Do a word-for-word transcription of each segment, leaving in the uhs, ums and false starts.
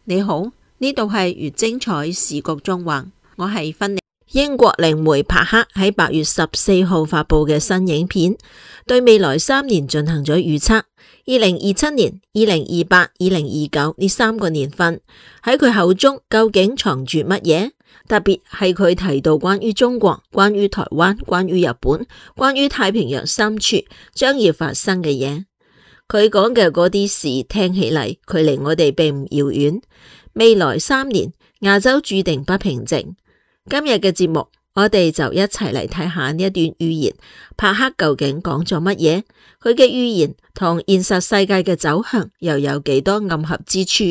你好，呢度係越精彩時局縱橫，我係芬妮。英國靈媒帕克喺八月十四號發佈嘅新影片，對未來三年進行咗預測。二零二七年、二零二八、二零二九呢三個年份喺佢口中究竟藏住乜嘢？特別係佢提到關於中國、關於台灣、關於日本、關於太平洋深處將要發生嘅嘢。佢講嘅嗰啲事聽起嚟，距離我哋並唔遙遠。未來三年，亞洲注定不平靜。今日嘅節目，我哋就一齊嚟睇下呢一段預言，帕克究竟講咗乜嘢？佢嘅預言同現實世界嘅走向又有幾多暗合之處？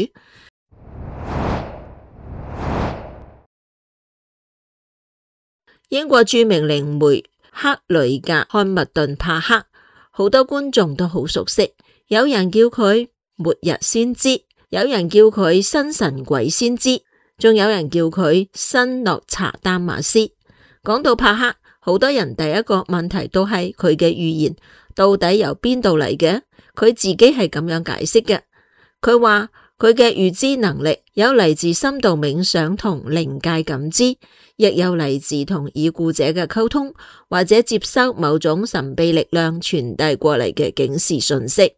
英國著名靈媒克雷格漢密頓帕克，好多觀眾都好熟悉。有人叫佢末日先知，有人叫佢新神鬼先知，仲有人叫佢新諾查丹馬斯。講到帕克，好多人第一個問題都係佢嘅預言到底由邊度嚟嘅？佢自己係咁樣解釋嘅。佢話佢嘅預知能力有嚟自深度冥想同靈界感知，亦有嚟自同已故者嘅溝通，或者接收某種神秘力量傳遞過嚟嘅警示訊息。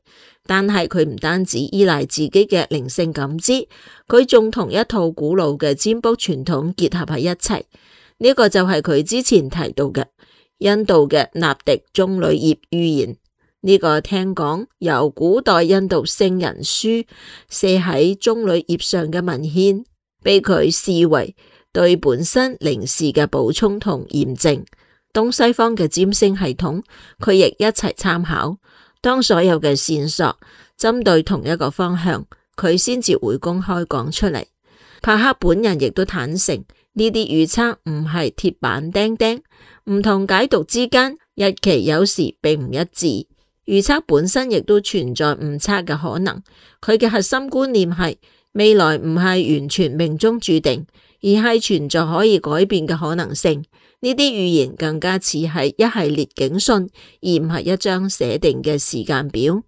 但係佢唔單止依賴自己嘅靈性感知，佢仲同一套古老嘅占卜傳統結合喺一齊。呢、這個就係佢之前提到嘅印度嘅納迪棕櫚葉預言。呢、這個聽講由古代印度聖人書寫喺棕櫚葉上嘅文獻，被佢視為對本身靈視嘅補充同驗證。東西方嘅占星系統，佢亦一齊參考。當所有嘅線索針對同一個方向，佢先至會公開講出嚟。帕克本人亦都坦誠，呢啲預測唔係鐵板釘釘，唔同解讀之間日期有時並唔一致。預測本身亦都存在誤差嘅可能。佢嘅核心觀念係未來唔係完全命中注定，而係存在可以改變嘅可能性。呢啲預言更加似係一系列警訊，而唔係一張寫定嘅時間表。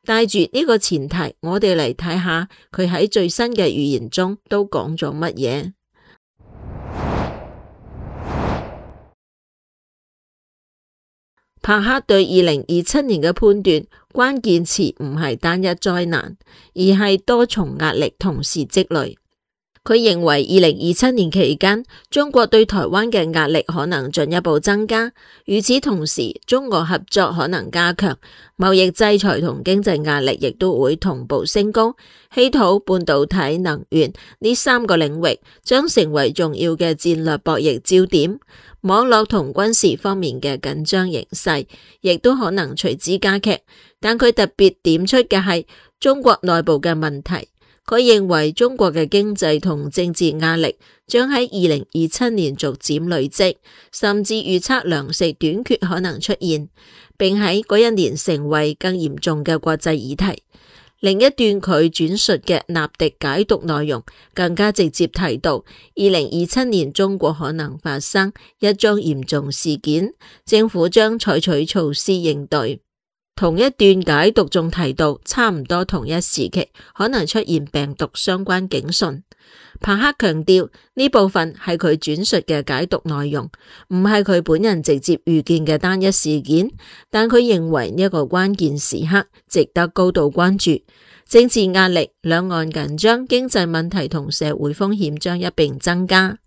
帶住呢個前提，我哋嚟睇下佢喺最新嘅預言中都講咗乜嘢。帕克對二零二七年嘅判斷，關鍵詞唔係單一災難，而係多重壓力同時積累。佢認為二零二七年期間，中國對台灣嘅壓力可能進一步增加。與此同時，中俄合作可能加強，貿易制裁同經濟壓力亦都會同步升高。稀土、半導體、能源呢三個領域將成為重要嘅戰略博弈焦點。網絡同軍事方面嘅緊張形勢亦都可能隨之加劇。但佢特別點出嘅係中國內部嘅問題。佢認為中國嘅經濟同政治壓力將喺二零二七年逐漸累積，甚至預測糧食短缺可能出現，並喺嗰一年成為更嚴重嘅國際議題。另一段佢轉述嘅納迪解讀內容更加直接提到，二零二七年中國可能發生一宗嚴重事件，政府將採取措施應對。同一段解讀仲提到，差唔多同一時期可能出現病毒相關警訊。帕克強調呢部分係佢轉述嘅解讀內容，唔係佢本人直接預見嘅單一事件，但佢認為呢一個關鍵時刻值得高度關注。政治壓力、兩岸緊張、經濟問題同社會風險將一併增加。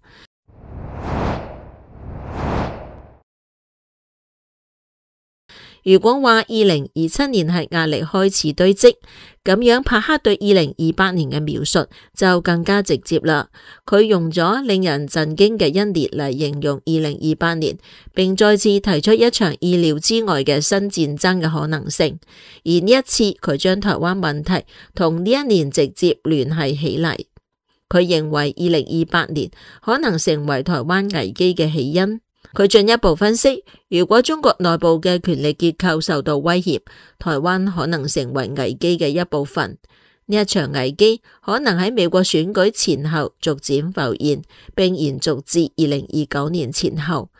如果話二零二七年係壓力開始堆積，咁樣帕克對二零二八年嘅描述就更加直接啦。佢用咗令人震驚嘅一年嚟形容二零二八年，並再次提出一場意料之外嘅新戰爭嘅可能性。而呢一次，佢將台灣問題同呢一年直接聯繫起嚟。佢認為二零二八年可能成為台灣危機嘅起因。佢進一步分析，如果中國內部嘅權力結構受到威脅，台灣可能成為危機嘅一部分。呢一場危機可能喺美國選舉前後逐漸浮現，並延續至二零二九年前後。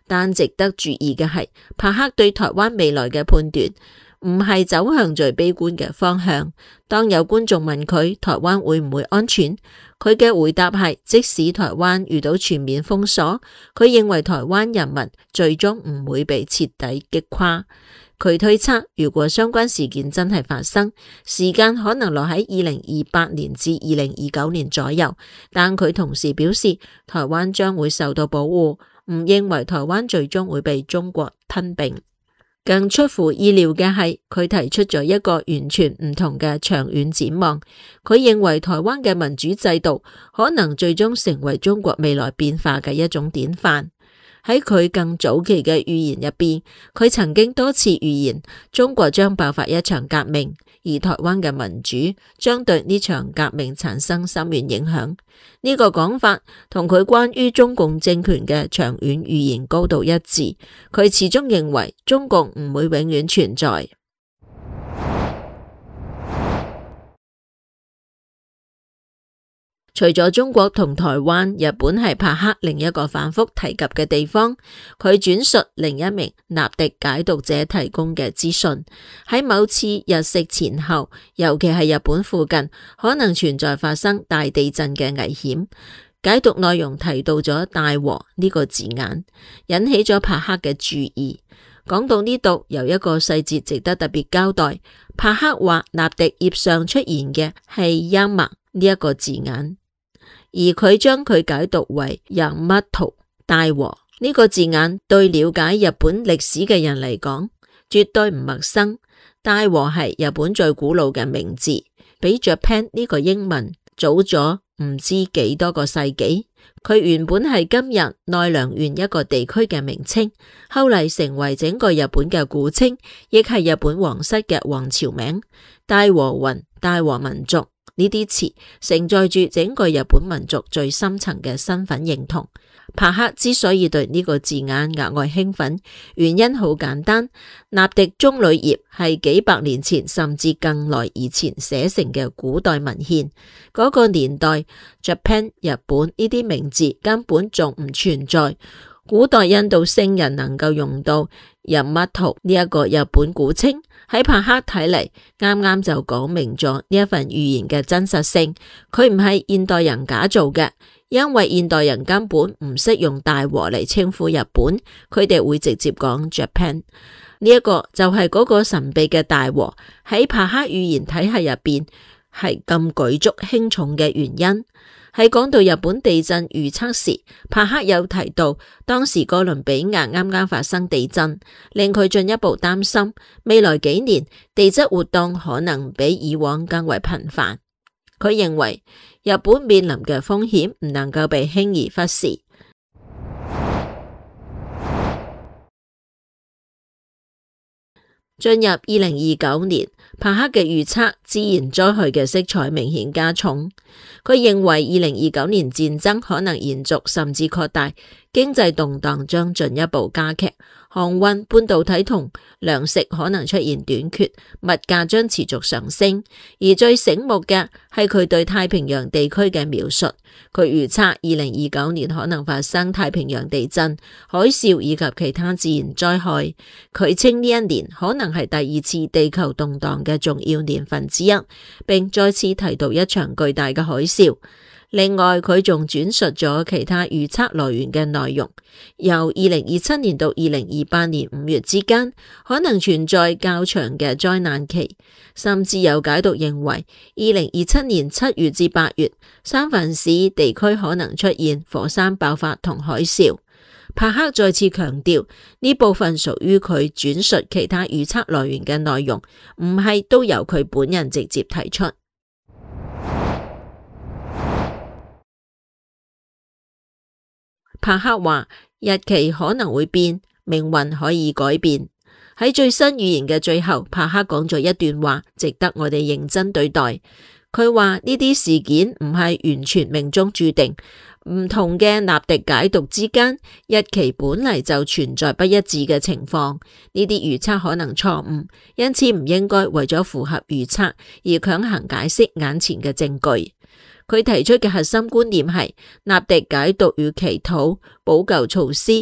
但值得注意嘅係，帕克對台灣未來嘅判斷唔係走向最悲觀嘅方向。當有觀眾問佢台灣會唔會安全，佢嘅回答係，即使台灣遇到全面封鎖，佢認為台灣人民最終唔會被徹底擊垮。佢推測，如果相關事件真係發生，時間可能落喺二零二八年至二零二九年左右。但佢同時表示，台灣將會受到保護，唔認為台灣最終會被中國吞併。更出乎意料嘅係，佢提出咗一個完全唔同嘅長遠展望。佢認為台灣嘅民主制度可能最終成為中國未來變化嘅一種典範。喺佢更早期嘅預言入邊，佢曾經多次預言中國將爆發一場革命，而台灣嘅民主將對呢場革命產生深遠影響。呢個講法同佢關於中共政權嘅長遠預言高度一致。佢始終認為中共唔會永遠存在。除咗中國同台灣，日本係柏克另一個反覆提及嘅地方。佢轉述另一名納迪解讀者提供嘅資訊，喺某次日食前後，尤其係日本附近，可能存在發生大地震嘅危險。解讀內容提到咗大禍呢個字眼，引起咗柏克嘅注意。講到呢度，有一個細節值得特別交代。柏克話納迪頁上出現嘅係陰默呢一個字眼，而佢將佢解讀為ヤマト大禍呢個字眼，對了解日本歷史嘅人嚟講絕對唔陌生。大禍係日本最古老嘅名字，比 Japan 呢個英文早咗唔知幾多個世紀。佢原本係今日奈良縣一個地區嘅名稱，後嚟成為整個日本嘅古稱，亦係日本皇室嘅王朝名。大和魂、大和民族呢啲詞承載住整個日本民族最深層嘅身份認同。柏克之所以對呢個字眼額外興奮，原因好簡單，納迪棕櫚葉係幾百年前甚至更耐以前寫成嘅古代文獻，嗰、那個年代 Japan 日本呢啲名字根本仲唔存在。古代印度聖人能夠用到ヤマト呢一個日本古稱，喺柏克睇嚟，啱啱就講明咗呢一份預言嘅真實性。佢唔係現代人假造嘅，因為現代人根本唔識用大和嚟稱呼日本，佢哋會直接講 Japan。呢一個就係嗰個神秘嘅大和喺柏克預言體系入邊係咁舉足輕重嘅原因。喺講到日本地震預測時，柏克有提到當時哥倫比亞啱啱發生地震，令佢進一步擔心未來幾年地質活動可能比以往更為頻繁。佢認為日本面臨嘅風險唔能夠被輕易忽視。進入二零二九年，柏克嘅預測自然災害嘅色彩明顯加重。佢認為二零二九年戰爭可能延續甚至擴大，經濟動盪將進一步加劇，航運、半導體同糧食可能出現短缺，物價將持續上升。而最醒目嘅係佢對太平洋地區嘅描述，佢預測二零二九年可能發生太平洋地震、海嘯以及其他自然災害。佢稱呢一年可能係第二次地球動盪嘅重要年份之一，並再次提到一場巨大嘅海嘯。另外，佢仲轉述咗其他預測來源嘅內容，由二零二七年到二零二八年五月之間，可能存在較長嘅災難期，甚至有解讀認為，二零二七年七月至八月，三藩市地區可能出現火山爆發同海嘯。柏克再次強調，呢部分屬於佢轉述其他預測來源嘅內容，唔係都由佢本人直接提出。柏克話日期可能會變，命運可以改變。喺最新預言嘅最後，柏克講咗一段話，值得我哋認真對待。佢話呢啲事件唔係完全命中注定，唔同嘅納迪解讀之間，日期本嚟就存在不一致嘅情況。呢啲預測可能錯誤，因此唔應該為咗符合預測而強行解釋眼前嘅證據。佢提出嘅核心觀念係納迪解讀與祈禱、補救措施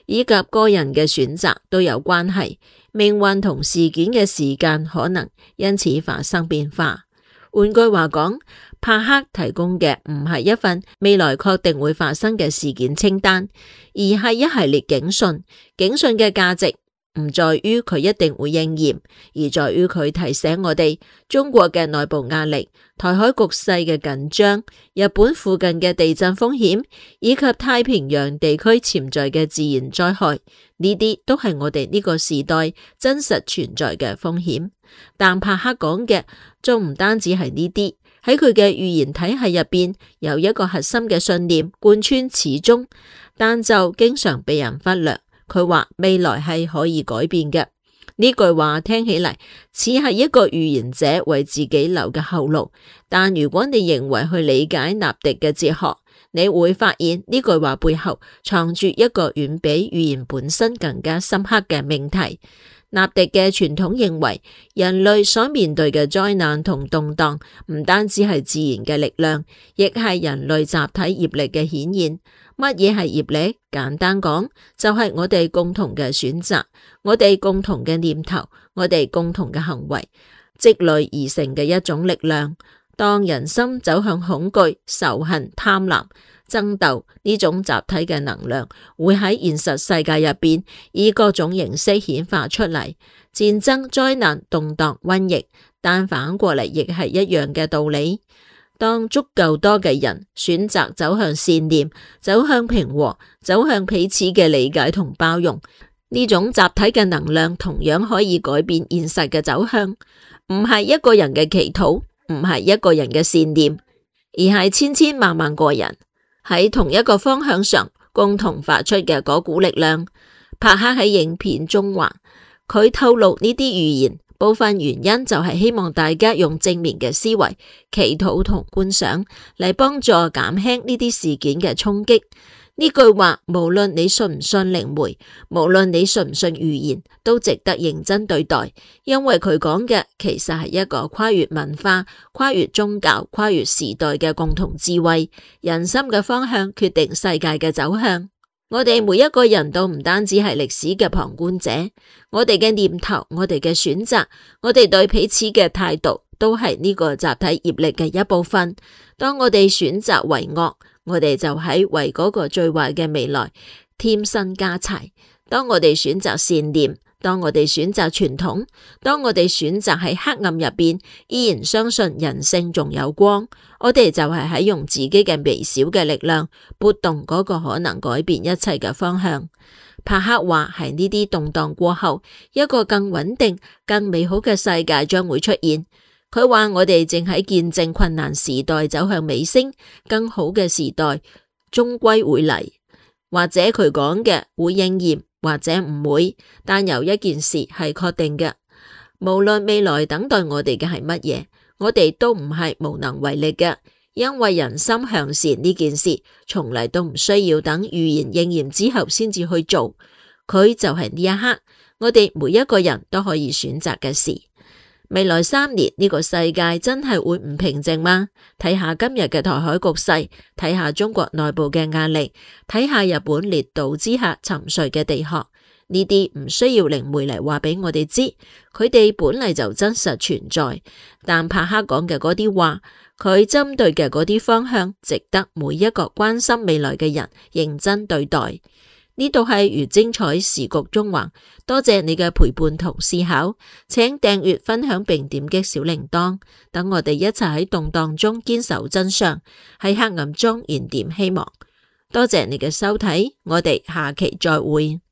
以及個人嘅選擇都有關係，命運同事件嘅時間可能因此發生變化。換句話講，帕克提供嘅唔係一份未來確定會發生嘅事件清單，而係一系列警訊。警訊嘅價值唔在於佢一定會應驗，而在於佢提醒我哋中國嘅內部壓力、台海局勢嘅緊張、日本附近嘅地震風險，以及太平洋地區潛在嘅自然災害，呢啲都係我哋呢個時代真實存在嘅風險。但帕克講嘅仲唔單止係呢啲，喺佢嘅預言體系入邊有一個核心嘅信念貫穿始終，但就經常被人忽略。佢話未來係可以改變嘅。呢句話聽起嚟似係一個預言者為自己留嘅後路，但如果你認為去理解納迪嘅哲學，你會發現呢句話背後藏住一個遠比預言本身更加深刻嘅命題。納迪嘅傳統認為，人類所面對嘅災難同動盪唔單止係自然嘅力量，亦係人類集體業力嘅顯現。乜嘢係業力？簡單講，就係我哋共同嘅選擇，我哋共同嘅念頭，我哋共同嘅行為積累而成嘅一種力量。當人心走向恐懼、仇恨、貪婪、爭鬥，呢種集體嘅能量會喺現實世界入邊以各種形式顯化出嚟，戰爭、災難、動盪、瘟疫，但反過嚟亦係一樣嘅道理。當足夠多嘅人選擇走向善念、走向平和、走向彼此嘅理解同包容，呢種集體嘅能量同樣可以改變現實嘅走向。唔係一個人嘅祈禱，唔係一個人嘅善念，而係千千萬萬個人喺同一個方向上共同發出嘅嗰股力量。帕克喺影片中話，佢透露呢啲預言部分原因就係希望大家用正面嘅思維、祈禱同觀想嚟幫助減輕呢啲事件嘅衝擊。呢句話無論你信唔信靈媒，無論你信唔信預言，都值得認真對待，因為佢講嘅其實係一個跨越文化、跨越宗教、跨越時代嘅共同智慧。人心嘅方向決定世界嘅走向。我哋每一個人都唔單止係歷史嘅旁觀者，我哋嘅念頭、我哋嘅選擇、我哋對彼此嘅態度，都係呢個集體業力嘅一部分。當我哋選擇為惡，我哋就喺為嗰個最壞嘅未來添薪加柴。當我哋選擇善念，當我哋選擇傳統，當我哋選擇喺黑暗入邊依然相信人性仲有光，我哋就係喺用自己嘅微小嘅力量撥動嗰個可能改變一切嘅方向。帕克話喺呢啲動盪過後，一個更穩定、更美好嘅世界將會出現。佢話我哋正喺見證困難時代走向尾聲，更好嘅時代終歸會嚟，或者佢講嘅會應驗，或者唔會，但有一件事係確定嘅，無論未來等待我哋嘅係乜嘢，我哋都唔係無能為力嘅，因為人心向善呢件事從嚟都唔需要等預言應驗之後先至去做，佢就係呢一刻我哋每一個人都可以選擇嘅事。未來三年呢個世界真係會唔平靜嗎？睇下今日嘅台海局勢，睇下中國內部嘅壓力，睇下日本列島之下沉睡嘅地殼，呢啲唔需要靈媒嚟話俾我哋知，佢哋本嚟就真實存在。但帕克講嘅嗰啲話，佢針對嘅嗰啲方向，值得每一個關心未來嘅人認真對待。呢度係如精彩時局中橫，多謝你嘅陪伴同思考，請訂閱、分享並點擊小鈴鐺，等我哋一齊喺動盪中堅守真相，喺黑暗中燃點希望。多謝你嘅收睇，我哋下期再會。